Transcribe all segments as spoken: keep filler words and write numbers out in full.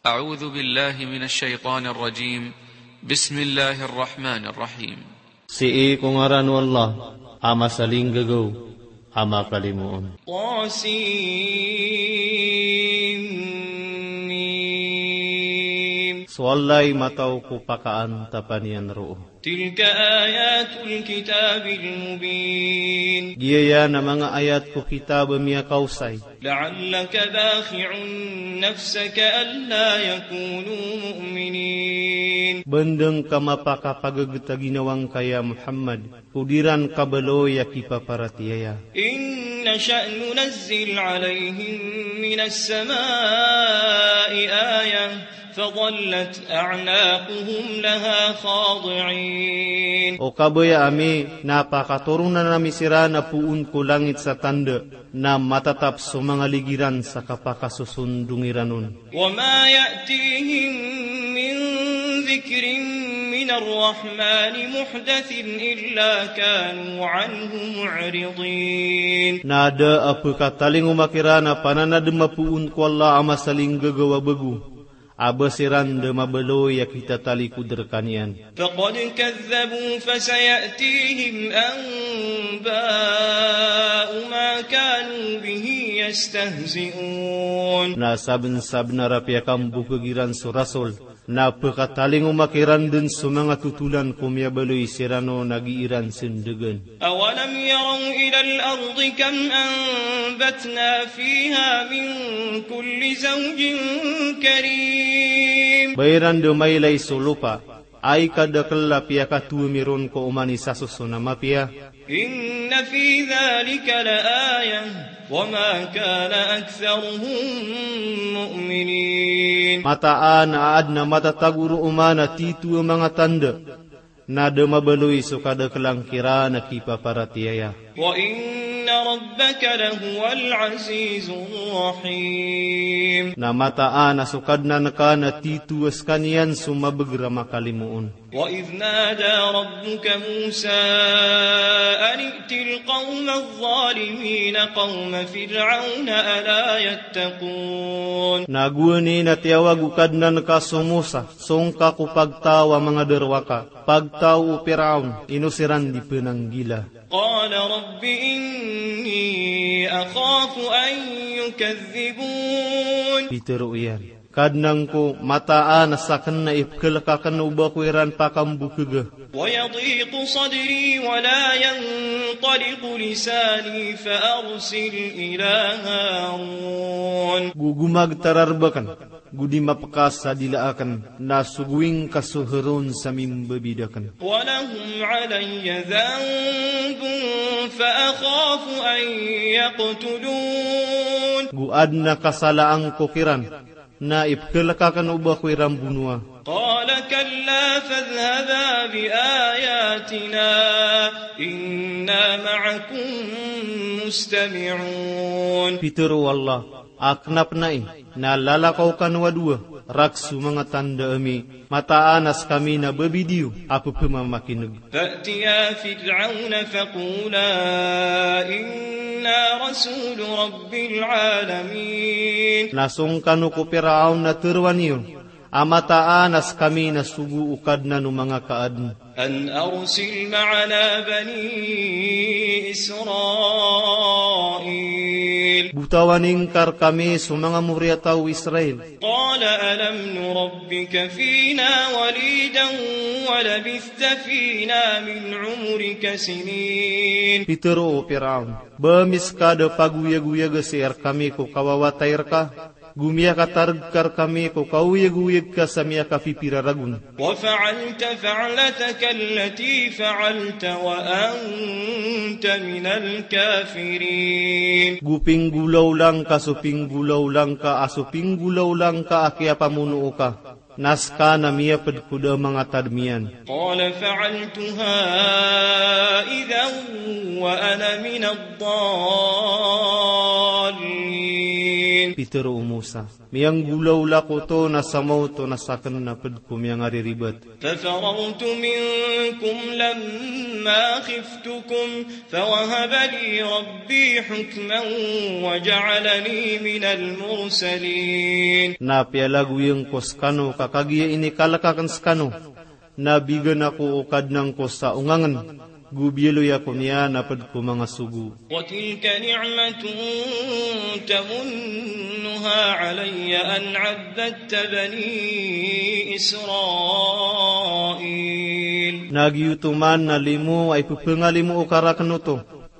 أعوذ بالله من الشيطان الرجيم. بسم الله الرحمن الرحيم. Sii ko ngaran o Allah a masalinggagaw a makalimoon. Tasin Mim. So Allah i mataw ko pakaantapan iyan roo. Tilka ayatul kitabil mubin. Giya iyan a manga ayat ko kitab a miyakaosay. La'allaka bakhi'un nafsaka alla yakunu mu'minin. Bendeng ka mapakapagegeta ginawang ka ya Muhammad, ko diran kabaloy a kipaparatiyaya. In nasha' nunazzil alayhim minas sama'i ayah, fadhallat a'naquhum laha khadi'in. O kabaya ami, na pakatoronan ami siran a poon ko langit sa tanda, na matatap so manga ligi ran sa kapakasosondong iran on. Wa ma ya'tihim min dhikrin minar rahmani muhdathin illa kanu anhu mu'ridin. Na da a pekatalingoma kiran a pananadem a poon ko Allah a masalinggagaw a bego, a ba siran da mabaloy a kitatalikod rekaniyan. Faqad kadhdhabu fasaya'tihim anba'u ma kanu bihi yastahzi'un. Na sabensabenar a piyakambokeg iran so rasul, na pekatalingoma kiran den so manga totolan ko miyabaloy siran on a gii ran sendegan. Awalam yaraw ilal ardi kam anbatna fiha min kulli zawjin karim. Ba iran da mailay so lopa a ikadekel a piyakatowa mi ron ko oman i sasoson a mapiya. Inna fi dhalika la ayah, wa ma kana aktharuhum mu'minin. Mataan a aden a matatago roo man a tito a manga tanda, na da mabaloy so kadekelan kiran a kipaparatiyaya. Wa inna rabbaka lahuwal azizur rahim. Na mataan a so Kadnan ka na tito a sekaniyan so mabeger a makalimoon. Wa idh nada rabbuka Musa an i'til qawmadh dhalimin qawma Fir'awn ala yattaqun. Na gowani na tiyawag o Kadnan ka so Musa, song ka ko pagtaw a manga derowaka, pagtaw o Piraon, ino siran di penanggila. Qala rabbi inni akhafu an yukadhdhibun. Pitero iyan, Kadnan ko, mataan a saken na ipekelek aken o ba ko iran pakambokega. Wa yadhiqu sadri wa la yantaliqu lisani fa arsil ila Harun. Go gomagtar a rebaken, go di mapekas a dila aken, na sogoing ka so Harun sa mimbabidaken. Wa lahum alayya dhanbun fa akhafu an yaqtulun. Go aden a kasalaan ko kiran, na ipekelek aken o ba ko iran bonoa. Qala kalla fadhhaba bi ayatina inna ma'akum mustami'un. Pitero o Allah, a kena pen ai, na lalakaw kano a dowa, rek so manga tanda ami, mataan a sekami na babidiyo a pepemamakineg. Fa'tiya Fir'auna faqula inna rasulu rabbil alamin. Na song kano ko Piraon na teroa niyo, a mataan a sekami na sogo o Kadnan o manga kaaden. An arsil ma'ana bani Israil. Botawan ingka rekami so manga moriyataw o Israil. Qala alam nurabbika fina walidan wa labithta fina min umrika sinin. Pitero o Piraon, ba miska da pagoyagoyag sii rekami ko kawawatay reka, go miyakatareg ka rekami ko kaoyagoyag ka sa miyakapipira ragon. Wa fa'alta fa'lataka allati fa'alta wa anta minal kafirin. Go pinggolawla ngka so pinggolawla ngka a so pinggolawla ngka a kiyapamonoo ka, na seka na miyaped ko da a manga tadem iyan. Qala fa'altuha idhan wa ana minad dallin. Pitharo o Musa, miyanggolawla ko oto na sa maoto na saken na ped ko miyangariribat. ففررت منكم لما خفتكم فوهب لي ربي حكما وجعلني من المرسلين. Na piyalagoyen ko sekano ka kagiya inikalek aken sekano, na bigan ako o Kadnan ko sa ongangen, go biyaloy ako niyan a ped ko manga sogo. وتلك نعمة تمنها علي أن عبدت بني إسرائيل. Na giyoto man na limo a ipepengalimo o karaken oto,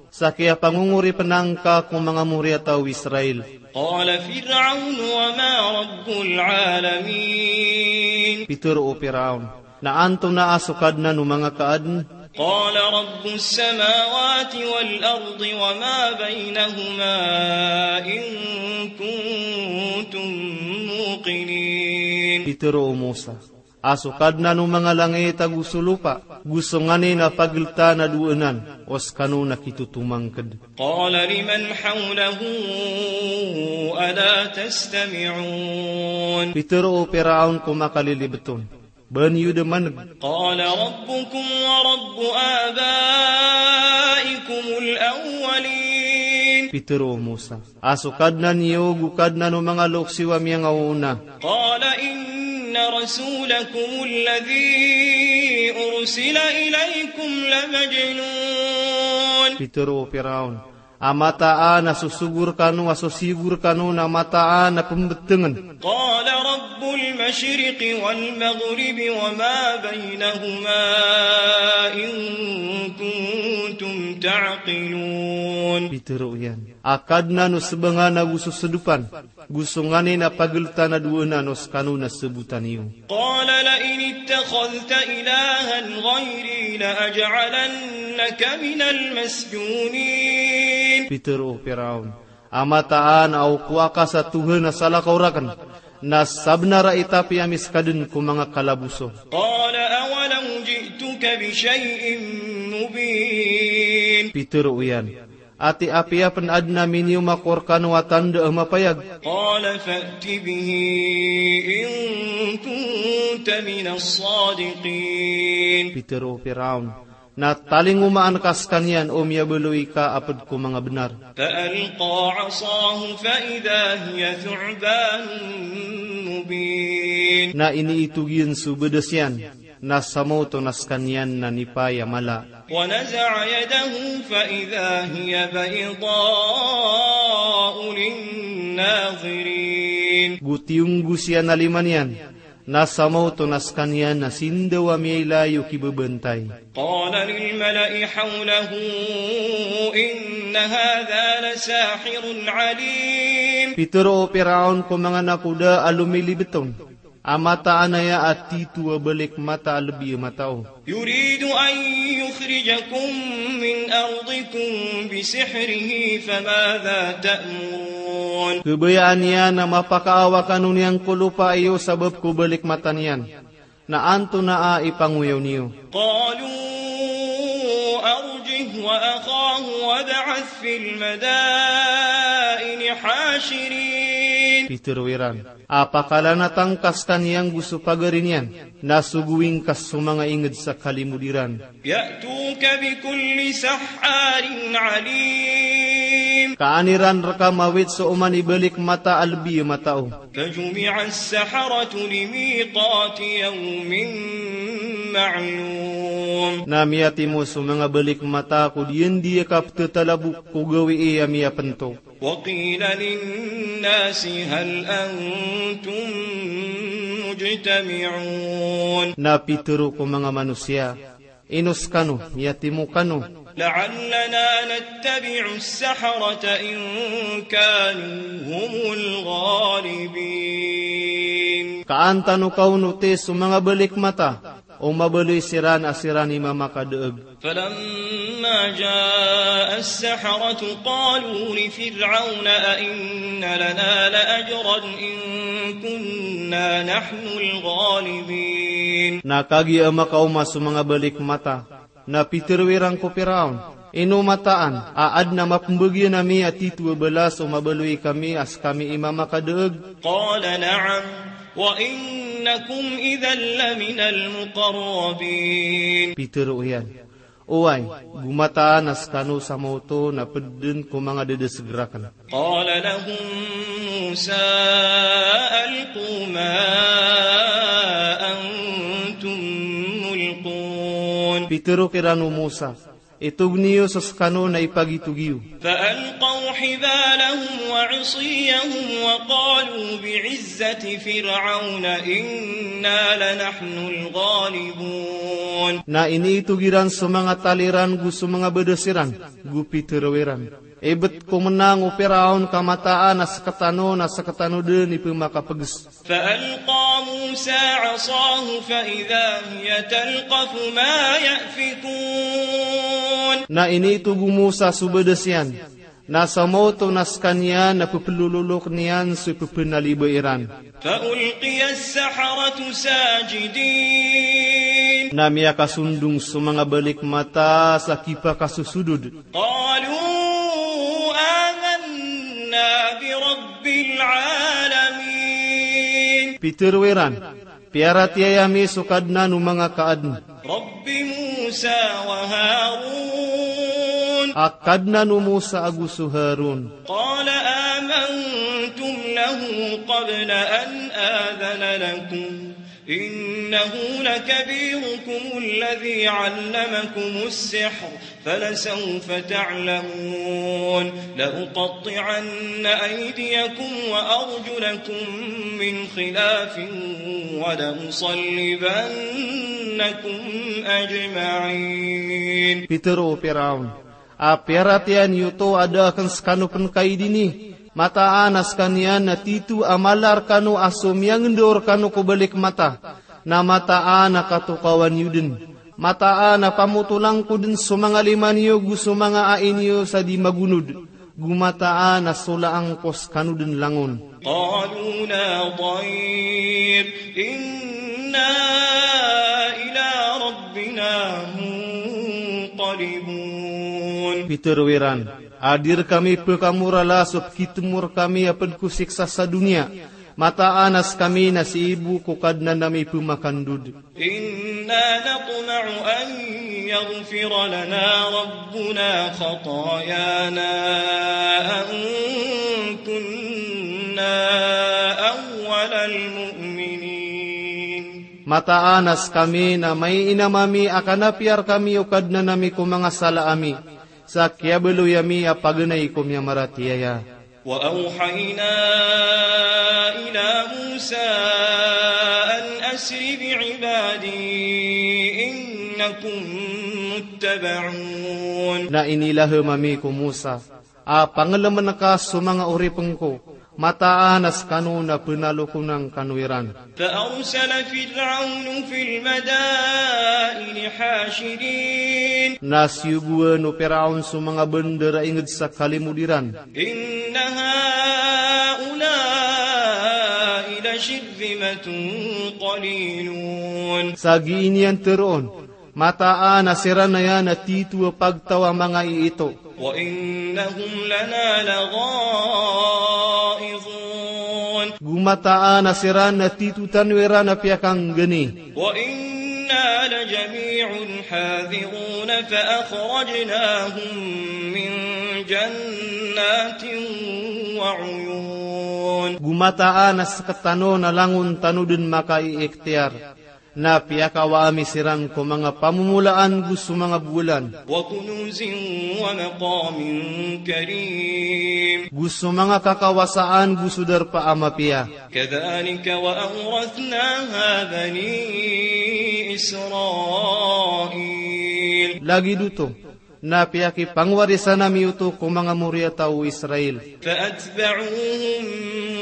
sa kiyapangongoripen angka ko manga moriyataw o Israel. قال فرعون وما رب العالمين. Pitharo o Firaon, na antonaa so Kadnan o manga kaaden? قال رب السماوات والأرض وما بينهما إن كنتم موقنين. Pitharo o Musa, a so Kadnan o manga langit ago so lopa, go so nganin a pageltaan a dowa anan, o sekano na kitotomangked. قال لمن حوله ألا تستمعون. Pitharo o Firaon ko makalilibet on, ba niyo da maneg? قال ربكم ورب آبائكم الأولين. Pitharo o Musa, a so Kadnan iyo go Kadnan o manga loks iyo a miyangaoona. قال إن رسولكم الذي أرسل إليكم لمجنون. Pitharo o Firaon, a mataan a so sogo rekano a so siyogo rekano na mataan a pembetengen. قال رب المشرق والمغرب وما بينهما إن كنتم تعقلون. Pitharo iyan, a Kadnan o sebangan ago so sedopan, go so nganin a pageltaan a dowa anan, o sekano na sebotan iyo. قال لئن اتخذت إلها غيري لأجعلنك من المسجونين. Pitharo o Firaon, a mataan a o kowa ka sa Tohan a salakaw raken, na sabenar a itapi ami seka den ko manga kalaboso. قال أولو جئتك بشيء مبين. Pitharo iyan, ati apiya pen aden a miniyomak ko rekano a tanda a mapayag? قال فأت به إن كنت من الصادقين. Pitharo o Firaon, na talingomaan ka sekaniyan o miyabaloy ka a ped ko manga benar. فألقى عصاه فإذا هي ثعبان مبين. Na iniitog iyan so bedas iyan, na sa maoto na sekaniyan na nipaya mala. ونزع يده فإذا هي بيضاء للناظرين. Go tiyonggos iyan a lima niyan, na sa maoto na sekaniyan na sindaw a miyailay o kibebantay. قال للملأ حوله إن هذا لساحر عليم. Pitharo o Firaon ko manga nakoda a lomilibet on, a mataan aya a tito a balik mata a lebi a matao. يريد أن يخرجكم من أرضكم بسحره فماذا تأمرون. Kabayaan iyan a mapakaawa kano niyan ko lopa iyo sabap ko balik mata niyan. Na antonaa i pangoyaw niyo? قالوا أرجه وأخاه وابعث في المدائن حاشرين. Pitharo iran, a pakalanatan ka sekaniyan go so pagari niyan, na sogoin ka so manga inged sa kalimod iran. يأتوك بكل سحار عليم. Ka an iran reka mawit so oman i balik mata a lebi a matao. فجمع السحرة لميقات يوم معلوم. Na miyatimo so manga balik mata ko diyan di a kaptetalabok ko gawii a miyapento. وقيل للناس هل أنتم مجتمعون. Na pitharo ko manga manosiya, ino sekano, miyatimo kano? لعلنا نتبع السحرة إن كانوا هم الغالبين. Ka an tano kaonoti so manga balik mata, o mabaloy siran a siran i mamakadaeg. فلما جاء السحرة قالوا لفرعون أئن لنا لأجرا إن كنا نحن الغالبين. Na kagiya makaoma so manga balik mata, na pitharo iran ko Firaon, Ino mataan a adn a mapmbgan ami a titho a balas o mabaloy kami a skami i mamakadaag? قال نعم وإنكم إذا لمن المقربين. Pitharo iyan, oway, go mataan a skano sa maoto na pd dn ko manga dadasg rakn. قال لهم موسى ألقوا ما أنتم ملقون. Pitharo kiran o Musa, itog niyo so skano na ipagitog iyo. فألقوا حبالهم وعصيهم وقالوا بعزة فرعون إنا لنحن الغالبون. Na iniitog iran so manga tali ran go so manga badas iran, go pitharo iran, ibt ko mnang o Piraon ka mataan a sktano na sktano dn i pmakapgs. فألقى موسى عصاه فإذا هي تلقف ما يأفكون. Na iniitog o Musa so badas iyan, na sa maoto na skaniyan na pplololokn iyan so pphnaliba iran. فألقي السحرة ساجدين. Na miyakasondong so manga balikmata sa kipakasosodod. قالوا آمنا برب العالمين. Pitharo iran, piyaratiyaya mi so Kadnan o manga kaadn. رب موسى وهارون. A Kadnan o Musa ago so Harun. قال آمنتم له قبل أن آذن لكم إنه لكبيركم الذي علمكم السحر فلسوف تعلمون لأقطعن أيديكم وأرجلكم من خلاف ولأصلبنكم أجمعين. Pitharo o Piraon, a piyaratiyaya niyo oto a da akn skano pnkaidini. Mataan a skaniyan na titho a mala rkano a so miyangndaw rkano ko balikmata. Na mataan a katokawan iyo dn. Mataan a pamotolan ko dn so manga lima niyo go so manga ai niyo sa di magonod. Go mataan a solaan ko skano dn langon. قالوا لا ضير إنا إلى ربنا منقلبون. Pitharo iran, a di rkami pkamorala so pkitmo rkami a pd ko siksa sa doniya. Mataan a skami na sii bo ko Kadnan ami pmakandod. إنا نطمع أن يغفر لنا ربنا خطايانا أن كنا أول المؤمنين. Mataan a skami na maiinam ami a kanapiya rkami o Kadnan ami ko manga sala ami, sa kiyabaloy ami a paganay ko miyamaratiyaya. وأوحينا إلى موسى أن أسر بعبادي إنكم متبعون. Na inilahm ami ko Musa a panglmn ka so manga oripn ko, mataan a skano na pnalokonan kano iran. فأرسل فرعون في المدائن حاشرين. Na siyogoan o Piraon so manga bandar a ingd sa kalimod iran. إن هؤلاء لشرذمة قليلون. Sa gii niyan tharoon, mataan a siran aya na titho a pagtaw a manga iito. وإنهم لنا لغائظون. Go mataan a siran na titho tano iran a piyakanggani. وإنا لجميع حاذرون فأخرجناهم من جنات وعيون. Go mataan a sktano na langon tano dn makaiiktiyar. Na piyakawa ami siran ko manga pamomolaan go so manga bolan. وكنوز ومقام كريم. Go so manga kakawasaan go so darpa a mapiya. كذلك وأورثناها بني إسرائيل. Lagid oto, na piyakipangwarisan ami oto ko manga moriyataw o Israel. فأتبعوهم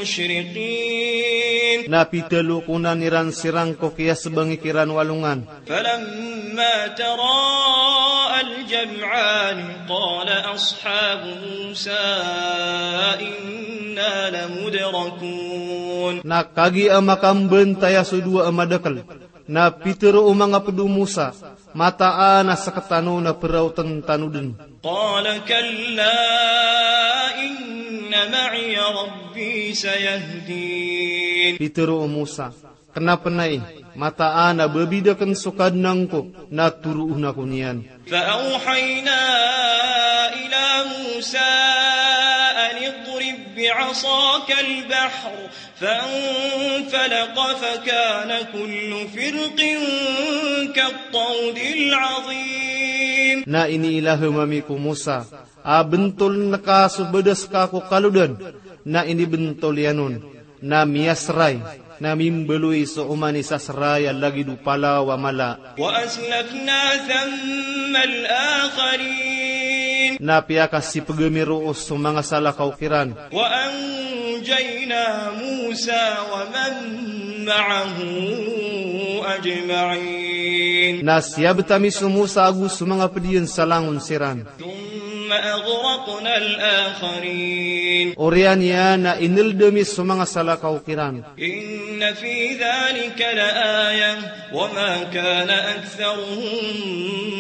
مشرقين. Na pitalokonan iran siran ko kiyasbangik iran o alongan. فلما تراءى الجمعان قال أصحاب موسى إنا لمدركون. Na kagiya makambantaya so dowa a madakl, Na pitharo o manga pd o Musa, mataan a sktano na praotn tano dn. قال كلا إن معي ربي سيهدين. Pitharo o Musa, kna pn ai, mataan a babid akn so Kadnan ko, na toroon ako niyan. فأوحينا إلى موسى أن اضرب بعصاك البحر فانفلق فكان كل فرق كالطود العظيم. Na iniilaham ami ko Musa a bntoln ka so badas ka ko kalodan, na inibntol iyan on, na miyasray, na mimbaloy so oman i sasray a lagid o palaw a mala. وأزلفنا ثم الآخرين. Na piyakasipg ami roo so manga salakaw kiran. وأنجينا موسى ومن معه أجمعين. Na siyabt ami so Musa ago so manga pd iyan sa langon siran. ثم أغرقنا الآخرين. Oriyan iyan na inld ami so manga salakaw kiran. إن في ذلك لآية وما كان أكثرهم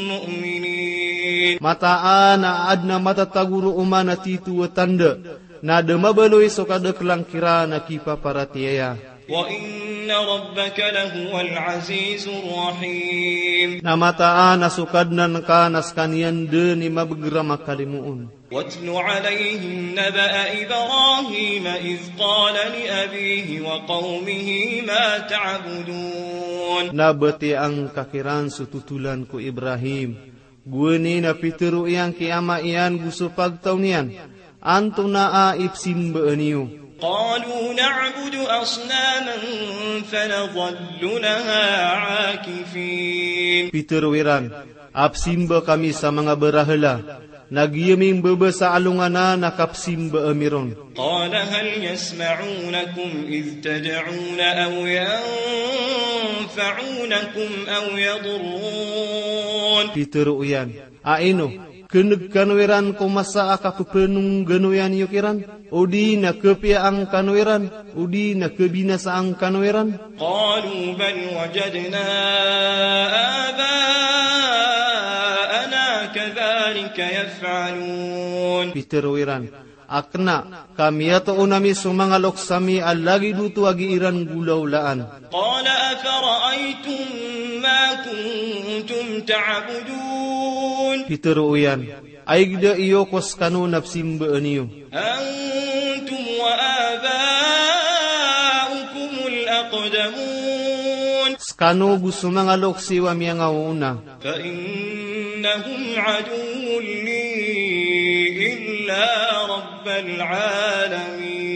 مؤمنين. Mataan a adn a matatago roo man a titho a tanda, na da mabaloy so kadaklan kiran a kipaparatiyaya. وإن ربك لهو العزيز الرحيم. Na mataan a so Kadnan ka na skaniyan dn i mabgrama kalimoon. واتل عليهم نبأ إبراهيم إذ قال لأبيه وقومه ما تعبدون. Na batiyaa ngka kiran so totolan ko Ibrahim, gowani na pitharo iyan ki ama iyan go so pagtaw niyan, antonaa i psimbaan iyo? قالوا نعبد أصناما فنظل لها عاكفين. Pitharo iran, a psimba kami sa manga barahala, na giya mimbaba sa alongan a kapsimba ami ron. قال هل يسمعونكم إذ تدعون أو ينفعونكم أو يضرون. Pitharo iyan, a ino, kneg kano iran ko masa a kappanongganoyan iyo kiran, odi na kapiyaan kano iran, odi na kabinasaan kano iran? قالوا بل وجدنا آباءنا كذلك يفعلون. Pitharo iran, a kna, ka miyatoon ami so manga loks ami a lagid oto a gii ran golaolaan. قال أفرأيتم ما كنتم تعبدون. Pitharo iyan, a igda iyo ko skano na psimbaan iyo? أنتم وآباؤكم الأقدمون. Skano go so manga loks iyo a miyangaoona. فإنهم عدو لي إلا رب العالمين.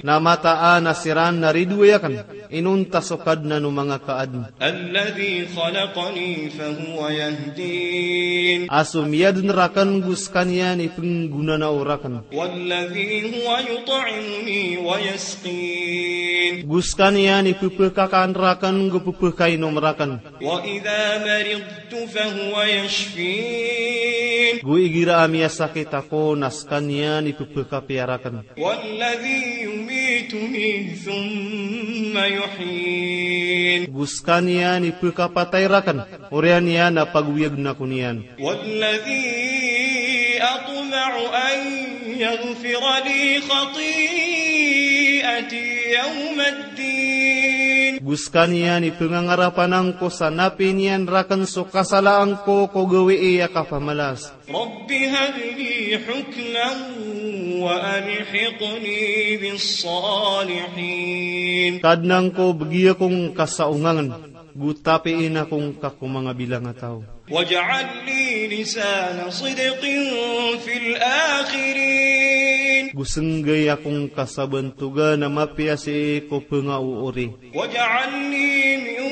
Na mataan a siran na ridoay akn, inonta so Kadnan o manga kaadn. الذي خلقني فهو يهدين. A so miyadn rakn go skaniyan i pnggonanao rakn. والذي هو يطعمني ويسقين. Go skaniyan i pphakakan rakn go pphakainom rakn. وإذا مرضت فهو يشفين. Go igira a miyasakit ako na skaniyan i pphakapiya rakn. والذي يميتني ثم يحيين. Go skaniyan i pphakapatay rakn, oriyan iyan a pagoyagn ako niyan. والذي أطمع أن يغفر لي خطيئتي يوم الدين. Go skaniyan i pngangarapan angko sa na piniyan rakn so kasalaan ko ko gawii a kapamalas. رب هب لي حكما وألحقني بالصالحين. Kadnan ko, bgi ako ngka sa ongangn, go tapiin ako ngka ko manga bilangataw. واجعل لي لسان صدق في الآخرين. Go snggai ako ngka sa bantogan a mapiya sii ko pngaoori. واجعلني من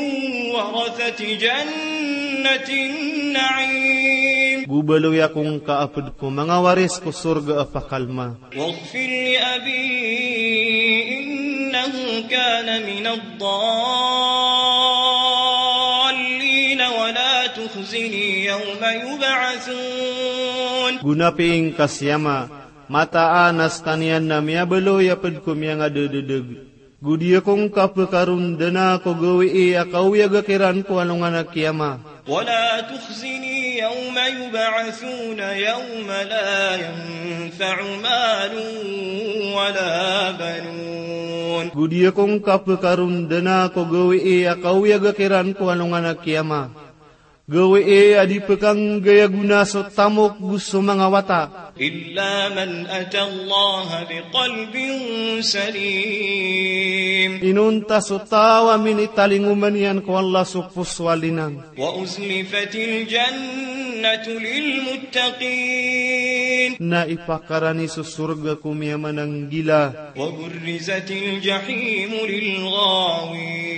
ورثة جنة النعيم. Go baloy ako ngka a pd ko manga waris ko sorga a pakalma. واغفر لأبي إنه كان من الضالين ولا تخزني يوم يبعثون. Go napiya ngka si ama, mataan a skaniyan na miyabaloy a pd ko miyangadadadg. Go di ako ngka pkarondanan ko gawii a kaoyaga kiran ko alongan a kiyama. ولا تخزني يوم يبعثون يوم لا ينفع مال ولا بنون. Go di ako ngka pkarondanan ko gawii a kaoyaga kiran ko alongan a kiyama. Gawii a di pkanggay a gona so tamok go so manga wata. إلا من أتى الله بقلب سليم. Inonta so taw a minitalingoma niyan ko Allah so poso a linang. وأزلفت الجنة للمتقين. Na ipakarani so sorga ko miyamananggila. وبرزت الجحيم للغاوين.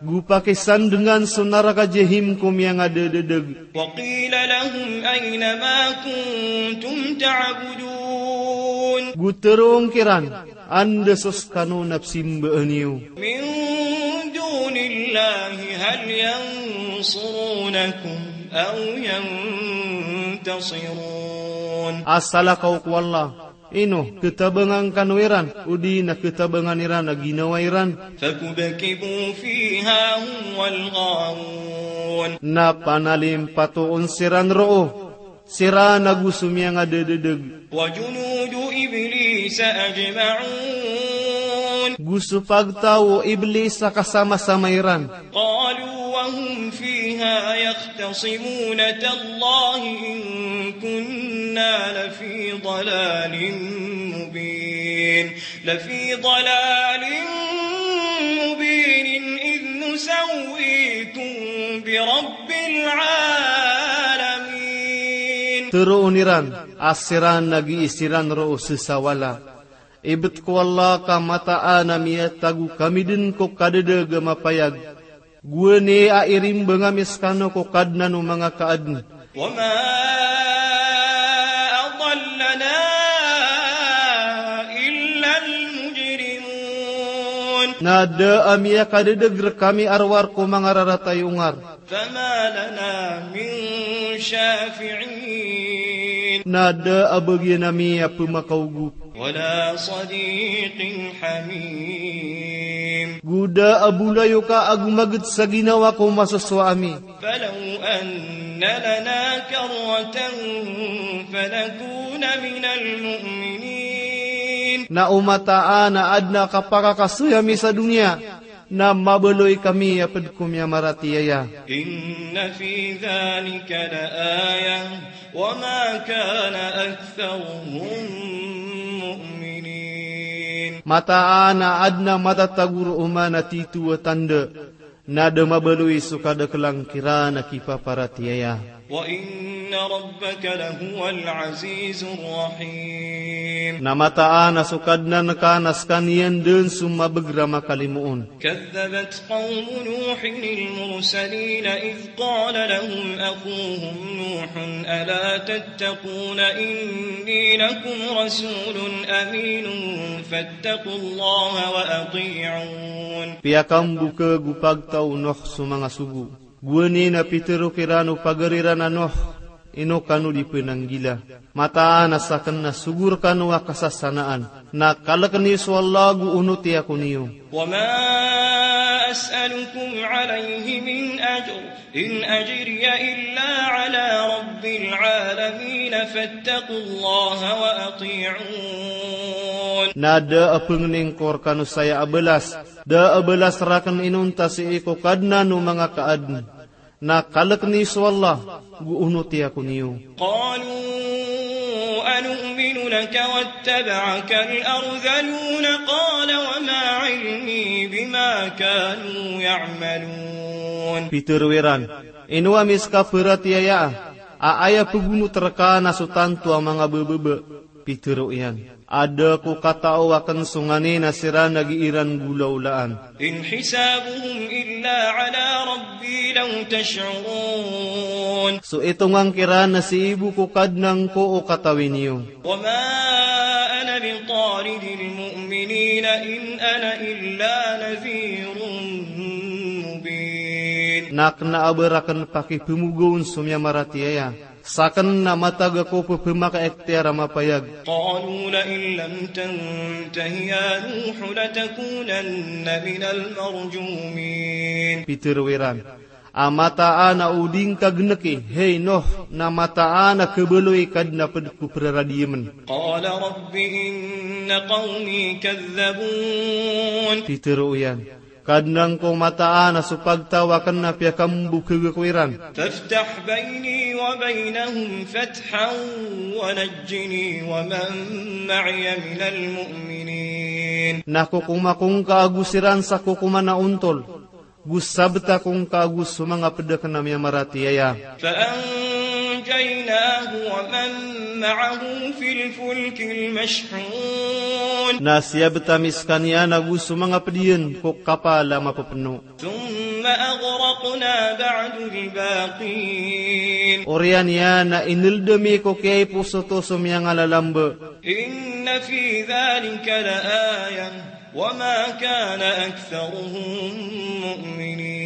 Go pakisandngan so naraka Jahim ko miyangadadadg. وقيل لهم أين ما كنتم تعبدون. Go tharoon kiran, anda so skano na pzimbaan iyo. من دون الله هل ينصرونكم أو ينتصرون. A salakaw ko Allah, ino khatabangan kano iran, odi na khatabangan iran a ginawa iran. فكبكبوا فيها هم والغاوون. Na panalimpatoon siran roo, siran ago so miyangadadadg. وجنود إبليس أجمعون. Go so pagtaw o Iblis a kasamasama iran. قالوا وهم فيها يختصمون تالله إن كنا لفي ضلال مبين. لفي ضلال مبين إذ نسويكم برب العالمين. Tharoon iran a siran a gii siran roo sesawala. Ibt ko Allah ka mataan a miyatago kami dn ko kadadadg a mapayag. Gowani a irimbang ami skano ko Kadnan o manga kaadn. وما أضلنا إلا المجرمون. Na da a miyakadadadg rkami a rowar ko manga rarata i ongar. فما لنا من شافعين. Na da a bagian ami a pmakaogop. ولا صديق حميم. Go da a bolayoka ago maged sa ginawa ko masosowa ami. فلو أن لنا كرة فنكون من المؤمنين. Na o mataan a adn a kapakakasoy ami sa doniya, na mabaloy kami a pd ko miyamaratiyaya. إن في ذلك لآية وما كان أكثرهم مؤمنين. Mataan a adn a matatago roo man a tito a tanda, na da mabaloy so kadaklan kiran a kipaparatiyaya. وإن ربك لهو العزيز الرحيم. Na mataan a so Kadnan ka na skaniyan dn so mabagr a makalimoon. كذبت قوم نوح المرسلين إذ قال لهم أخوهم نوح ألا تتقون إني لكم رسول أمين فاتقوا الله وأطيعون. Piyakambokhag o pagtaw o Nuh so manga sogo. Gowani na pitharo kiran o pagari ran a Nuh, ino kano di pnanggila. Mataan a sakn na sogo rkano a kasasanaan. Na kalkn iyo so Allah ago onoti ako niyo. وما أسألكم عليه من أجر إن أجري إلا على رب العالمين فاتقوا الله وأطيعون. Na da a pngningko rkano saya a balas, da a balas rakn inonta sii ko Kadnan o manga kaadn. Na kalkn iyo so Allah, go onoti ako niyo. قالوا أنؤمن لك واتبعك الأرذلون قال وما علمي بما كانوا يعملون. Pitharo iran, ino ami ska paratiyaya a aya pgonot rka na so tanto a manga bbaba. Pitharo iyan, a da ko katao akn so nganin a siran a gii ran golaolaan. إن حسابهم إلا على ربي لو تشعرون. So itongan kiran na sii bo ko Kadnan ko o katawi niyo. وما أنا بطارد المؤمنين إن أنا إلا نذير مبين. Na kna a ba rakn pakipmogawn so miyamaratiyaya. Saken na matag ako pepemakaektiyar a mapayag. قالوا لئن لم تنته يا نوح لتكونن من المرجومين. Pitero iran a mataan a o di ngka geneki, hey Nuh, na mataan a kebaloy ka den a ped ko peraradiyemen. قال رب إن قومي كذبون. Pitero iyan, Kadnan ko, mataan a so pagtaw aken na piyakambokeg ako iran. فافتح بيني وبينهم فتحا ونجني ومن معي من المؤمنين. Na kokoma ko ngka ago siran sa kokoman a ontol, go sabeta ko ngka ago so manga ped aken a miyamaratiyaya. فأنجيناه ومن معه في الفلك المشحون. Na siyabet ami sekaniyan ago so manga ped iyan ko kapal a mapepeno. ثم أغرقنا بعد الباقين. Oriyan iyan na ineled ami ko kiyaiposoto so miyangalalambe. إن في ذلك لآية وما كان أكثرهم مؤمنين.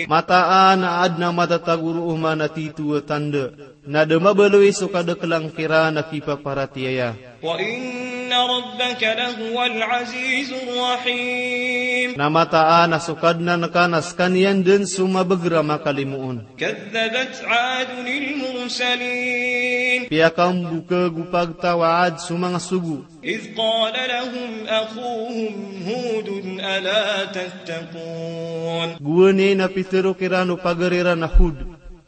Mataan a aden a matatago roo man a tito a tanda, na da mabaloy so kadekelan kiran a kipaparatiyaya. وإن ربك لهو العزيز الرحيم. Na mataan a so Kadnan ka na sekaniyan den so mabeger a makalimoon. كذبت عاد المرسلين. Piyakambokeg o pagtaw a Ad so manga sogo. إذ قال لهم أخوهم هود ألا تتقون. Gowani na pitero kiran o pagari ran a Hud,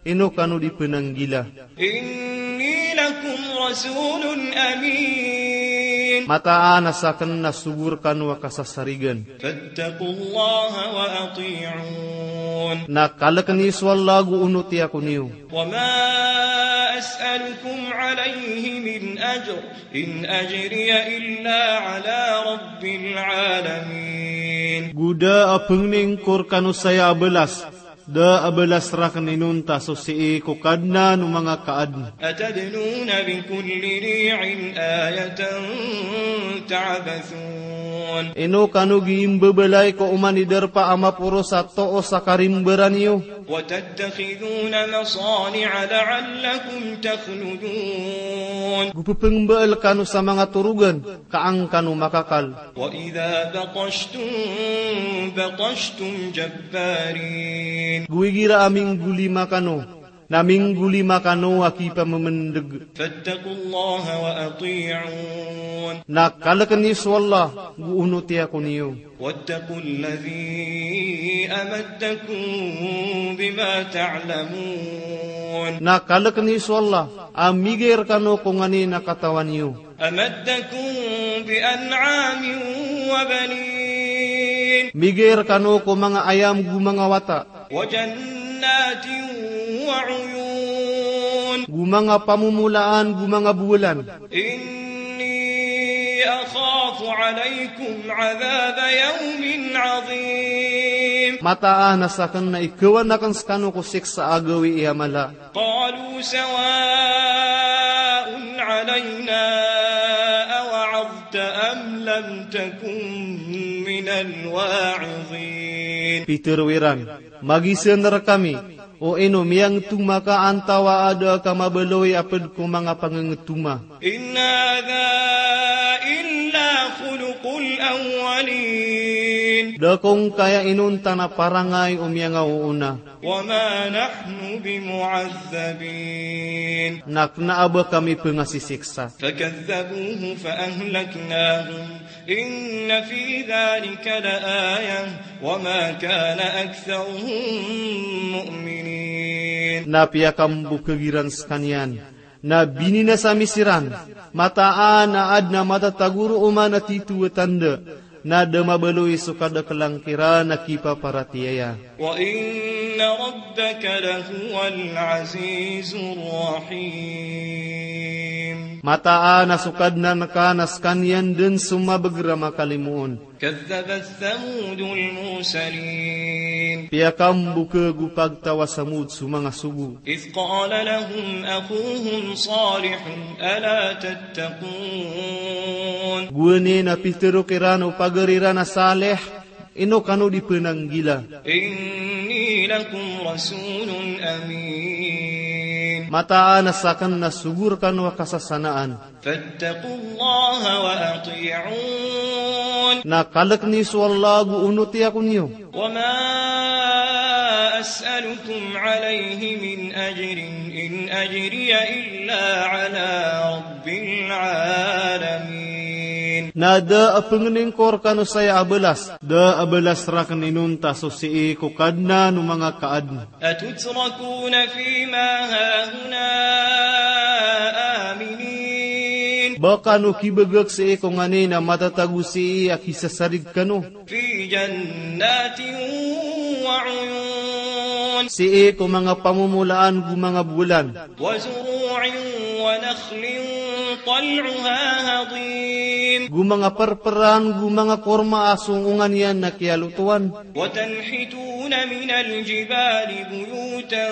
ino kano di penanggila. إني لكم رسول أمين. Mataan a saken na sogo rekano a kasasarigan. فاتقوا الله وأطيعون. Na kaleken iyo so Allah ago onoti ako niyo. وما أسألكم عليه من أجر إن أجري إلا على رب العالمين. Go da a pengning ko rekano saya a balas, da a balas raken inonta so sii ko Kadnan o manga kaadn. أتبنون بكل ريع آية تعبثون. Ino kano gii mbebalay ko oman i darpa a maporos a toos a karimbaran iyo. وتتخذون مصانع لعلكم تخلدون. Go pepengmbal kano sa manga torogan ka an kano makakal. وإذا بطشتم بطشتم جبارين. Go igira a minggolima kano, na minggolima kano a kipamemendeg. فاتقوا الله وأطيعون. Na kaleken iyo so Allah, go onoti ako niyo. واتقوا الذي أمدكم بما تعلمون. Na kaleken iyo so Allah a migay rekano ko nganin a katawan iyo. أمدكم بأنعام وبنين. Migay rekano ko manga ayam go manga wata. وجنات وعيون. Go manga pamomolaan go manga bowalan. إني أخاف عليكم عذاب يوم عظيم. Mataan a saken na ikawan aken sekano ko siksa a gawii a mala. قالوا سواء علينا أوعظت أم لم تكن من الواعظين. Pitero iran, magisen rekami, o ino miyangetoma ka antawa a da ka mabaloy a ped ko manga pangengetoma. إن هذا إلا خلق الأولين. Da ko ngkaya inonta na parangay o miyangaoona. وما نحن بمعذبين. Na kena a ba kami pengasisiksa. فكذبوه فأهلكناهم إن في ذلك لآية وما كان أكثرهم مؤمنين. Na piyakambokeg iran sekaniyan, na bininasa mi siran, mataan a aden a matatago roo man a tito a tanda, na da mabaloy so kadakelan kiran a kipaparatiyaya. وإن ربك لهو العزيز الرحيم. Mataan a so Kadnan ka na sekaniyan den so mabeger a makalimoon. كذبت ثمود المرسلين. Piyakambokeg o pagtaw a Samud so manga sogo. إذ قال لهم أخوهم صالح ألا تتقون. Gowani na pitero kiran o pagari ran a Salih, ino kano di penanggila. إني لكم رسول أمين. Mataan a sakn na sogo rkano a kasasanaan. فاتقوا الله وأطيعون. Na kalkn iyo so Allah ago onoti ako niyo. وما أسألكم عليه من أجر إن أجري إلا على رب العالمين. Na da a pngningko rkano saya a balas, da a balas rakn inonta so sii ko Kadnan o manga kaadn. أتتركون فيما هاهنا آمنين. Ba kano kibagak sii ko nganin a matatago sii a kisasarig kano. في جنات وعيون. Sii ko manga pamomolaan go manga bolan. وزروع ونخل طلعها هضيم. Go manga prpran, go manga korma a so onga niyan na kiyalotowan. وتنحتون من الجبال بيوتا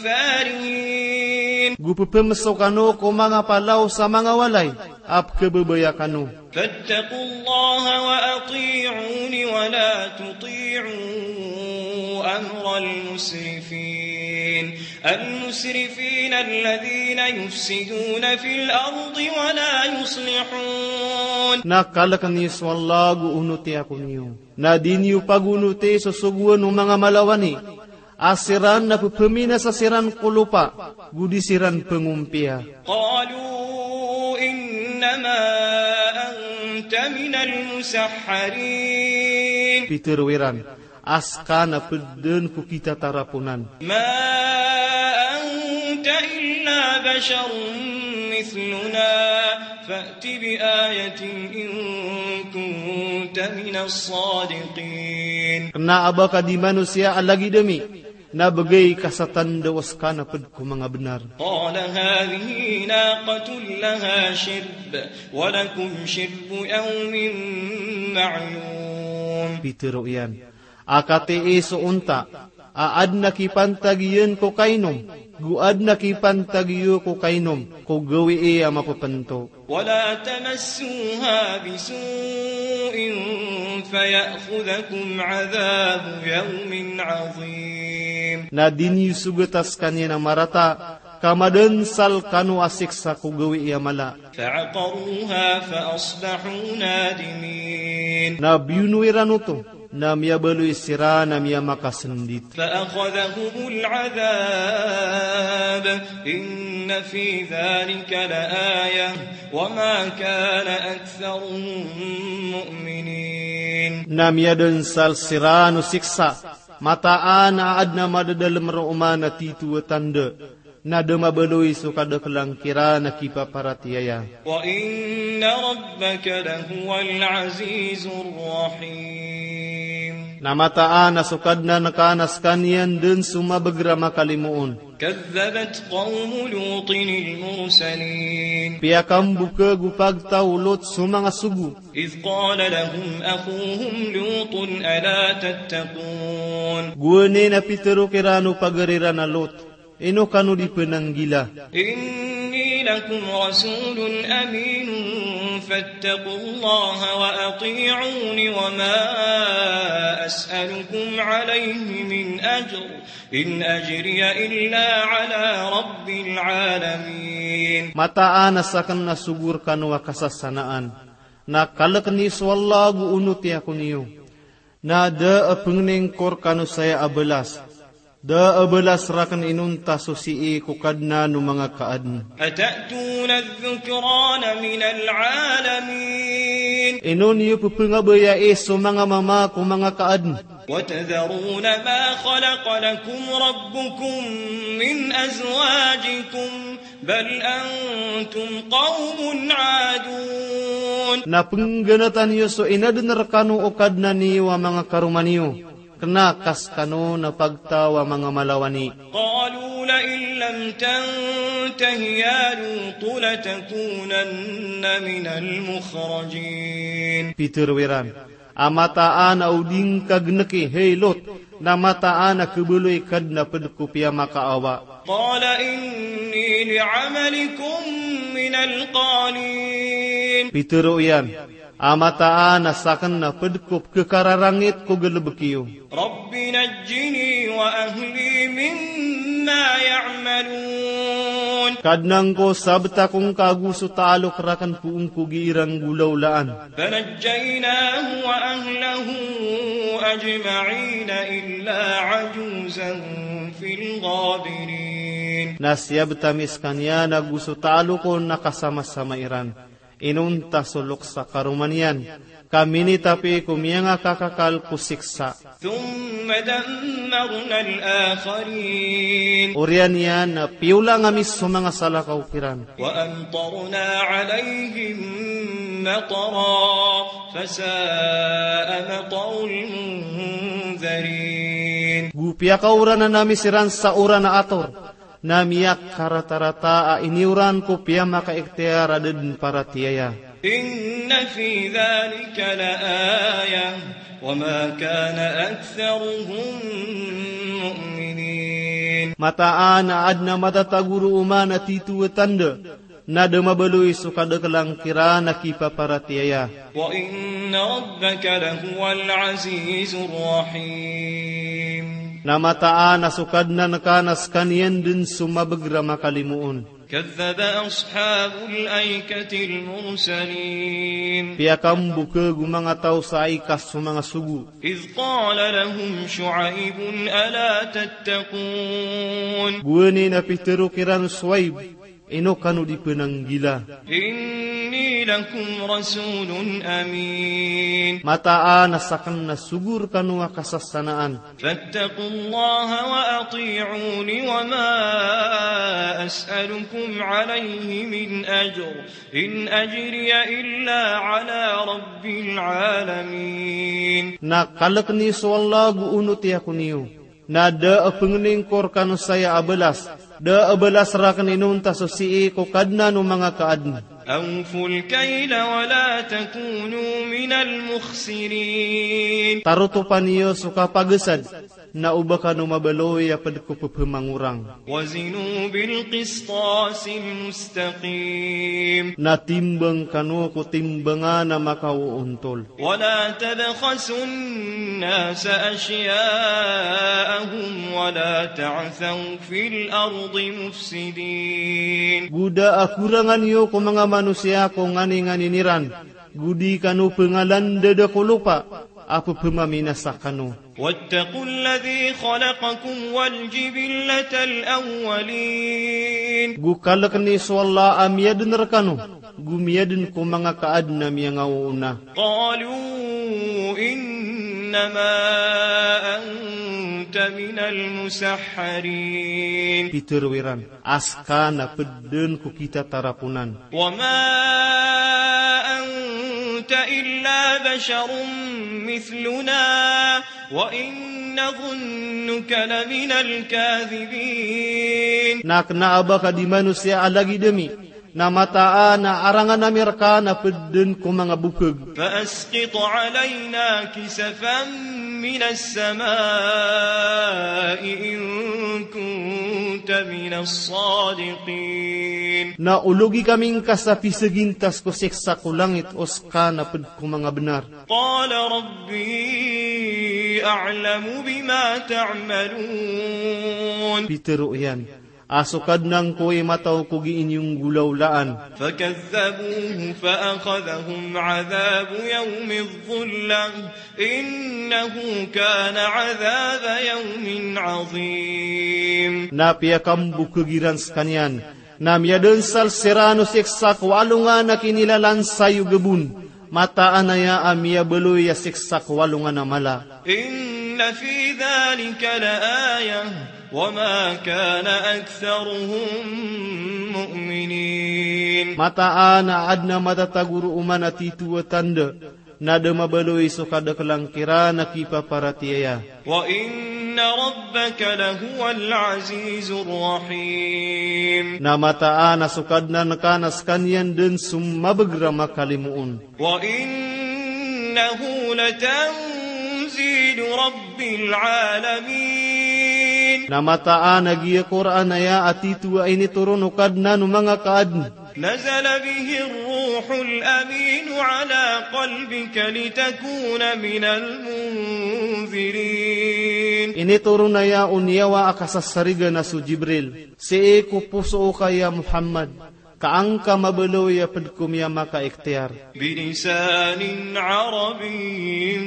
فارهين. Go pphamso kano ko manga palaw sa manga walay a pkhababaya kano. فاتقوا الله وأطيعون ولا تطيعوا أمر المسرفين. المسرفين الذين يفسدون في الأرض ولا يصلحون. Na kalkn iyo so Allah ago onoti ako niyo. Na di niyo pagonoti so sogoan o manga malawani a siran na pphaminasa siran ko lopa, go di siran pngompiya. قالوا إنما أنت من المسحرين. Pitharo iran a ska na pd dn ko kitataraponan. ما أنت إلا بشر مثلنا فأت بآية إن كنت من الصادقين. Kna a ba ka di manosiya a lagid ami, na bgay ka sa tanda o ska na pd ko manga bnar. قال هذه ناقة لها شرب ولكم شرب يوم معلوم. Pitharo iyan a katii so onta a adn a kipantag iyan ko kainom, go adn a kipantag iyo ko kainom ko gawii a mapphantag. ولا تمسوها بسوء فيأخذكم عذاب يوم عظيم. Na di niyo sogata skaniyan a marata ka madansal kano a siksa ko gawii a mala. فعقروها فأصبحوا نادمين. Na biyono iran oto, na miyabaloy siran a miyamakasndit. فأخذهم العذاب إن في ذلك لآية وما كان أكثرهم مؤمنين. Na miyadansal siran o siksa, mataan a adn a madadalm roo man a tito a tanda, na da mabaloy so kadaklan kiran a kipaparatiyaya. وإن ربك لهو العزيز الرحيم. Na mataan a so Kadnan ka na skaniyan dn so mabagr a makalimoon. كذبت قوم لوط المرسلين. Piyakamboka o pagtaw o Lot so manga sogo. إذ قال لهم أخوهم لوط ألا تتقون. Gowani na pitharo kiran o pagari ran a Lot, ino kano di pnanggila? إني لكم رسول أمين فاتقوا الله وأطيعون وما أسألكم عليه من أجر إن أجري إلا على رب العالمين. Mataan a sakn na sogo rkano a kasasanaan, na kalkn iyo so Allah ago onoti ako niyo. Na da a pngningko rkano saya a balas, da a balas rakn inonta so sii ko Kadnan o manga kaadn. أتأتون الذكران من العالمين. Ino niyo pphangabayai so manga mama ko manga kaadn. وتذرون ما خلق لكم ربكم من أزواجكم بل أنتم قوم عادون. Na pngganatan iyo so inadn rkano o Kadnan iyo a manga karoma niyo, kna ka skano na pagtaw a manga malawani. قالوا لئن لم تنته يا لوط لتكونن من المخرجين. Pitharo iran a mataan a o di ngka gnki, hay Lot, na mataan a khabaloy ka dn a pd ko piyamakaawa. قال إني لعملكم من القالين. Pitharo iyan A mataan a sakn na pd ko pkhakararangit ko galbk iyo. رب نجني وأهلي مما يعملون. Kadnan ko, sabt ako ngka ago so talok rakn ko ongkogi iran nggolawlaan. فنجيناه وأهله أجمعين إلا عجوزا في الغابرين. Na siyabt ami skaniyan ago so talok on a kasamasama iran. Inonta so loks a karoma niyan, ka minitapi ko miyangakakakal ko siksa. ثم دمرنا الآخرين. Oriyan iyan na piyolang ami so manga salakaw kiran. وأمطرنا عليهم مطرا فساء مطر المنذرين. Go piyakaoranan ami siran sa oran a ator, na miyakaratarata a iniyoran ko piyamakaikhtiyar a da dn paratiyaya. إن في ذلك لآية وما كان أكثرهم مؤمنين. Mataan a adn a matatago roo man a titho a tanda, na da mabaloy so kadaklan kiran a kipaparatiyaya. وإن ربك لهو العزيز الرحيم. Na mataan a so Kadnan ka na skaniyan dn so mabagr a makalimoon. كذب أصحاب الأيكة المرسلين. Piyakambokeg o manga taw sa Aika so manga sogo. إذ قال لهم شعيب ألا تتقون. Gowani na pitharo kiran o Shuaib, ino kano di pnanggila. إني لكم رسول أمين. Mataan a sakn na sogo rkano a kasasanaan. فاتقوا الله وأطيعون وما أسألكم عليه من أجر إن أجري إلا على رب العالمين. Na kalkni so Allah ago onoti ako niyo. Na da a pngningko rkano saya a balas. Da a balas rakn inonta so sii ko Kadnan o manga kaadn. أوفوا الكيل ولا تكونوا من المخسرين. Tarotopa niyo so kapagasad, na oba kano mabaloy a pd ko pphamangorang. وزنوا بالقسطاس المستقيم. Na timbang kano ko timbangan a makaoontol. ولا تبخسوا الناس أشياءهم ولا تعثوا في الأرض مفسدين. Go da a korangan iyo ko manga manosiya ko nganinganin iran. Go di kano pngalandada ko lopa a ppmaminasa kano. واتقوا الذي خلقكم والجبلة الأولين. Go kalkni so Allah a miyadn rkano, go miyadn ko manga kaadn a miyangaoona. قالوا إنما أنت من المسحرين. Pitharo iran, a ska na pd dn ko kitataraponan. وما أنت إلا بشر مثلنا وإن نظنك لمن الكاذبين. Na kna a ba ka di manosiya a lagid ami, na mataan a arangan ami rka na pd dn ko manga bokeg. فأسقط علينا كسفا من السماء إن كنت من الصادقين. Na ologi kami ngka sa pisagintas ko siksa ko langit o ska na pd ko manga bnar. قال ربي أعلم بما تعملون. Pitharo iyan, a so Kadnan ko i matao ko gii niyo nggolawlaan. فكذبوه فأخذهم عذاب يوم الظلة إنه كان عذاب يوم عظيم. Na piyakambokeg iran skaniyan, na miyadnsal siran o siksa ko alongan a kinilalan sa iyo gabon. Mataan aya a miyabaloy a siksa ko alongan a mala. إن في ذلك لآية وما كان أكثرهم مؤمنين. Mataan a adn a matatago roo man a titho a tanda, na da mabaloy so kadaklan kiran a kipaparatiyaya. وإن ربك لهو العزيز الرحيم. Na mataan a so Kadnan ka na skaniyan dn so mabagr a makalimoon. وإنه لتنزيل رب العالمين. Na mataan a giya Qur'an aya a titho a initoron o Kadnan o manga kaadn. نزل به الروح الأمين على قلبك لتكون من المنذرين. Initoron aya o niyawa a kasasarigan a so Jibril sii ko poso oka ya Muhammad, ka angka mabaloy a ped ko miyamakaikhtiyar. بلسان عربي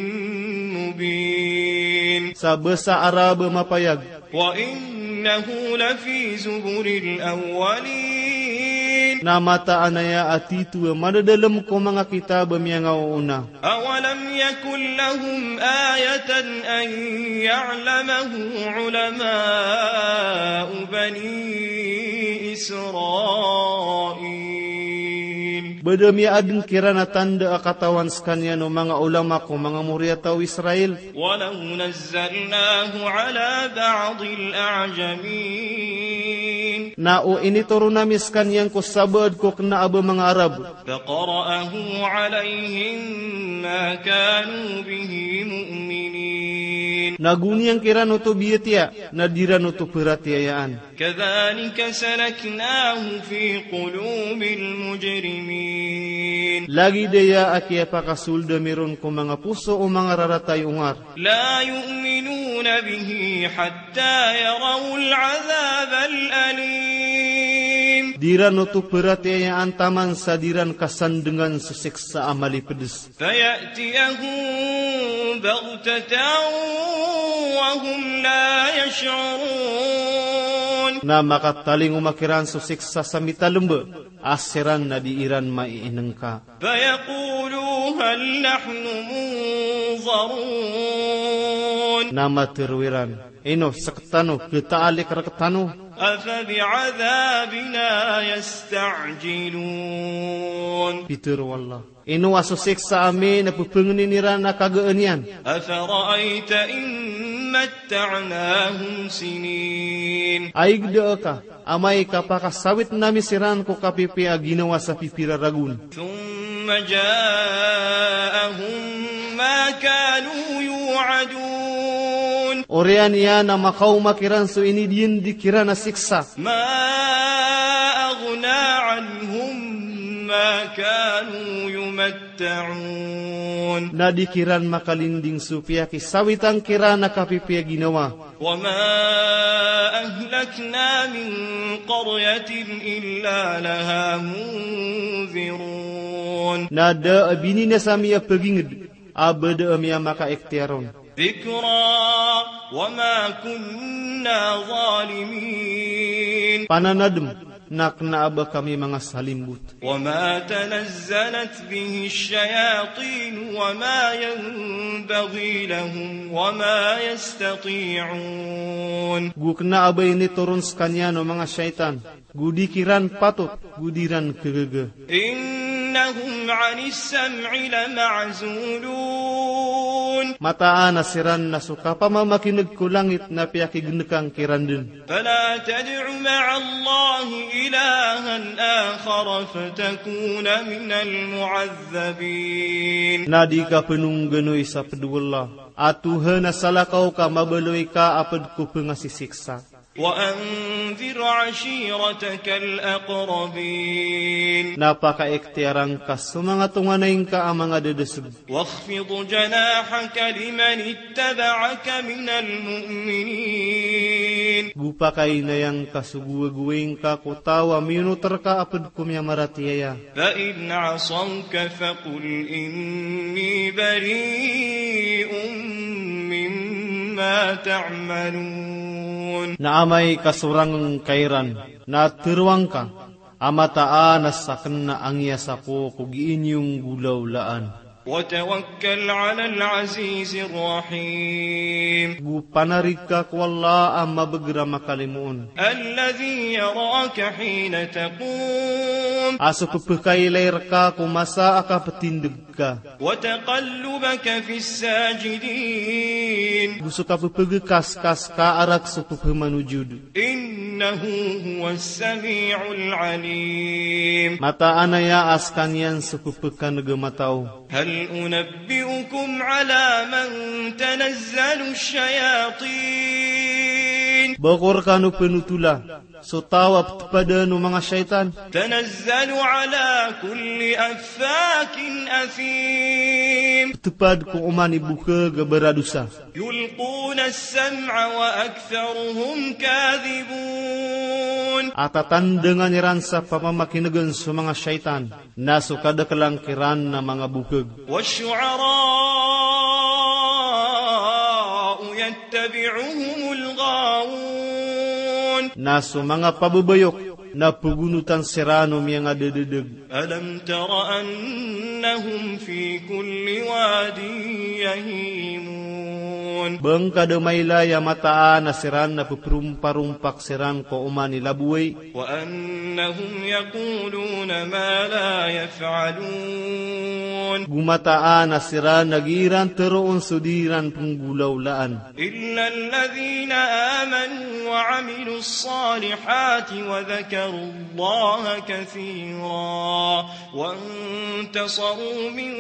مبين. Sa basa Arab a mapayag. وإنه لفي زبر الأولين. Na mataan aya a tito a madadalem ko manga kitab a miyangaoona. أولم يكن لهم آية أن يعلمه علماء بني إسرائيل. Ba da miyaadn kiran a tanda a katawan skaniyan o manga ulama ko manga moriyataw o Israel. ولو نزلناه على بعض الأعجمين. Na o initoron ami skaniyan ko sabaad ko kna a ba manga Arab. فقرأه عليهم ما كانوا به مؤمنين. Na go niyan kiran oto biyatiya, na di ran oto paratiyayaan. كذلك سلكناه في قلوب المجرمين. Lagid aya a kiyapakasold ami ron ko manga poso o manga rarata i ongar. لا يؤمنون به حتى يروا العذاب الأليم. Di ran oto paratiyayaan taman sa di ran kasandngan so siksa a malipds. فيأتيهم بغتة وهم لا يشعرون. Na makatalingoma kiran so siksa sa mitalmba a siran na di iran maiinngka. فيقولوا هل نحن منظرون. Na matharo iran, ino sktano khataalik rktano. أفبعذابنا يستعجلون. Pitharo o Allah, ino a so siksa ami na pphangnin iran a kagaan iyan. أفرأيت إن متعناهم سنين. Aygda ka, amay ka pakasawitn ami siran ko kapipiya a ginawa sa pipira ragon. ثم جاءهم ما كانوا يوعدون. Oriyan iyan a makaoma kiran so inidiyandi kiran a siksa. ما أغنى عنهم ما كانوا يمتعون. Na di kiran makalinding so piyakisawitan kiran a kapipiya ginawa. وما أهلكنا من قرية إلا لها منذرون. Na da a bininasa ami a pagingd a ba da ami a makaikhtiyar on. ذكرى وما كنا ظالمين. Pananadm, na kna a ba kami manga salimbot. وما تنزلت به الشياطين وما ينبغي لهم وما يستطيعون. Go kna a ba initoron skaniyan o manga shaytan, go di kiran patot, go di ran khagaga. إنهم عن السمع لمعزولون. Mataan a siran na so kapamamakin'g ko langit na piyakignkan kiran dn. فلا تدع مع الله إلها آخر فتكون من المعذبين. Na di ka pnongganoy sa pd o Allah a Tuhan a salakaw ka mabaloy ka a pd ko pngasisiksa. وأنذر عشيرتك الأقربين. Na pakaikhtiyara ngka so manga tonganay ngka a manga dadasg. واخفض جناحك لمن اتبعك من المؤمنين. Go pakainaya ngka so gowagoway ngka ko taw a miyonot rka a pd ko miyamaratiyaya. فإن عصوك فقل إني بريء مما تعملون. Na amay ka sorang ngka iran, na tharoang ka a mataan a sakn na angiyasa ko ko gii niyo nggolawlaan. وتوكل على العزيز الرحيم. Go panarig ka ko Allah a mabagr a makalimoon. الذي يراك حين تقوم. A so pphakailay rka ko masa a kaptindg ka. وتقلبك في الساجدين. Go so kapphagkaskas ka a rak so pphamanojod. إنه هو السميع العليم. Mataan aya a skaniyan so pphakandg a matao. هل أنبئكم على من تنزل الشياطين. Ba ko rkano pnotola so taw a ptpadn o manga shaytan. تنزل على كل أفاك أثيم. Ptpad ko oman i bokhag a baradosa. يلقون السمع وأكثرهم كاذبون. A tatandngan iran sa pamamakinegn so manga shaytan, na so kadaklan kiran na manga bokhag. والشعراء يتبعهم الغاوون. Na so manga pababayok na pgonotan siran o miyangadadadg. ألم تر أنهم في كل واد يهيمون. Ba ngka da mailay a mataan a siran na pphromparompaka siran ko oman i laboway. وأنهم يقولون ما لا يفعلون. Go mataan a siran na giiran tharoon so di iran pnggolawlaan. إلا الذين آمنوا وعملوا الصالحات وذكروا الله كثيرا وانتصروا من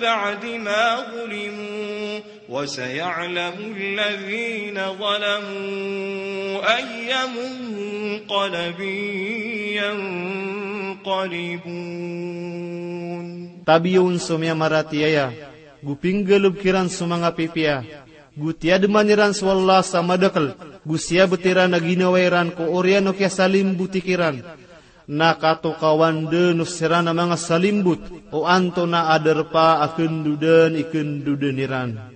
بعد ما ظلموا وسيعلم الذين ظلموا أي منقلب ينقلبون. Tabiya on so miyamaratiyaya, go pinggalob kiran so manga pipiya, go tiyadman iran so Allah sa madakl, go siyabt iran a ginawa iran ko oriyan o kiyasalimboti kiran. Na katokawan dn o siran a manga salimbot o antonaa darpa a kndodn i kndodn iran.